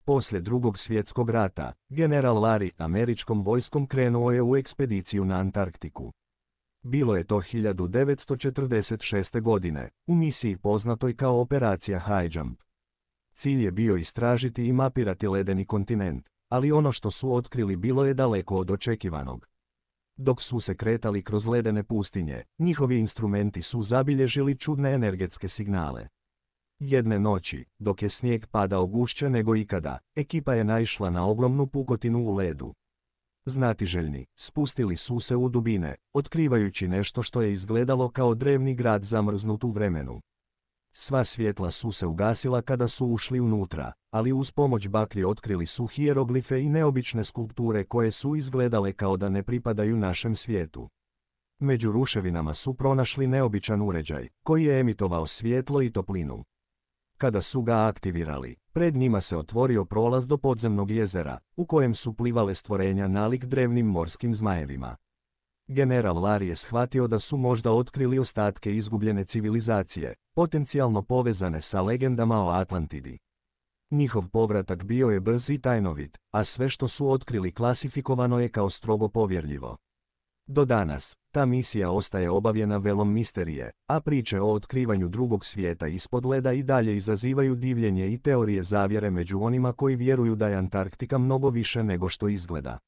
Poslije Drugog svjetskog rata, general Larry američkom vojskom krenuo je u ekspediciju na Antarktiku. Bilo je to 1946. godine, u misiji poznatoj kao operacija High Jump. Cilj je bio istražiti i mapirati ledeni kontinent, ali ono što su otkrili bilo je daleko od očekivanog. Dok su se kretali kroz ledene pustinje, njihovi instrumenti su zabilježili čudne energetske signale. Jedne noći, dok je snijeg padao gušće nego ikada, ekipa je naišla na ogromnu pukotinu u ledu. Znatiželjni, spustili su se u dubine, otkrivajući nešto što je izgledalo kao drevni grad zamrznut u vremenu. Sva svjetla su se ugasila kada su ušli unutra, ali uz pomoć baklje otkrili su hijeroglife i neobične skulpture koje su izgledale kao da ne pripadaju našem svijetu. Među ruševinama su pronašli neobičan uređaj, koji je emitovao svjetlo i toplinu. Kada su ga aktivirali, pred njima se otvorio prolaz do podzemnog jezera, u kojem su plivale stvorenja nalik drevnim morskim zmajevima. General Larry je shvatio da su možda otkrili ostatke izgubljene civilizacije, potencijalno povezane sa legendama o Atlantidi. Njihov povratak bio je brz i tajnovit, a sve što su otkrili klasifikovano je kao strogo povjerljivo. Do danas, ta misija ostaje obavljena velom misterije, a priče o otkrivanju drugog svijeta ispod leda i dalje izazivaju divljenje i teorije zavjere među onima koji vjeruju da je Antarktika mnogo više nego što izgleda.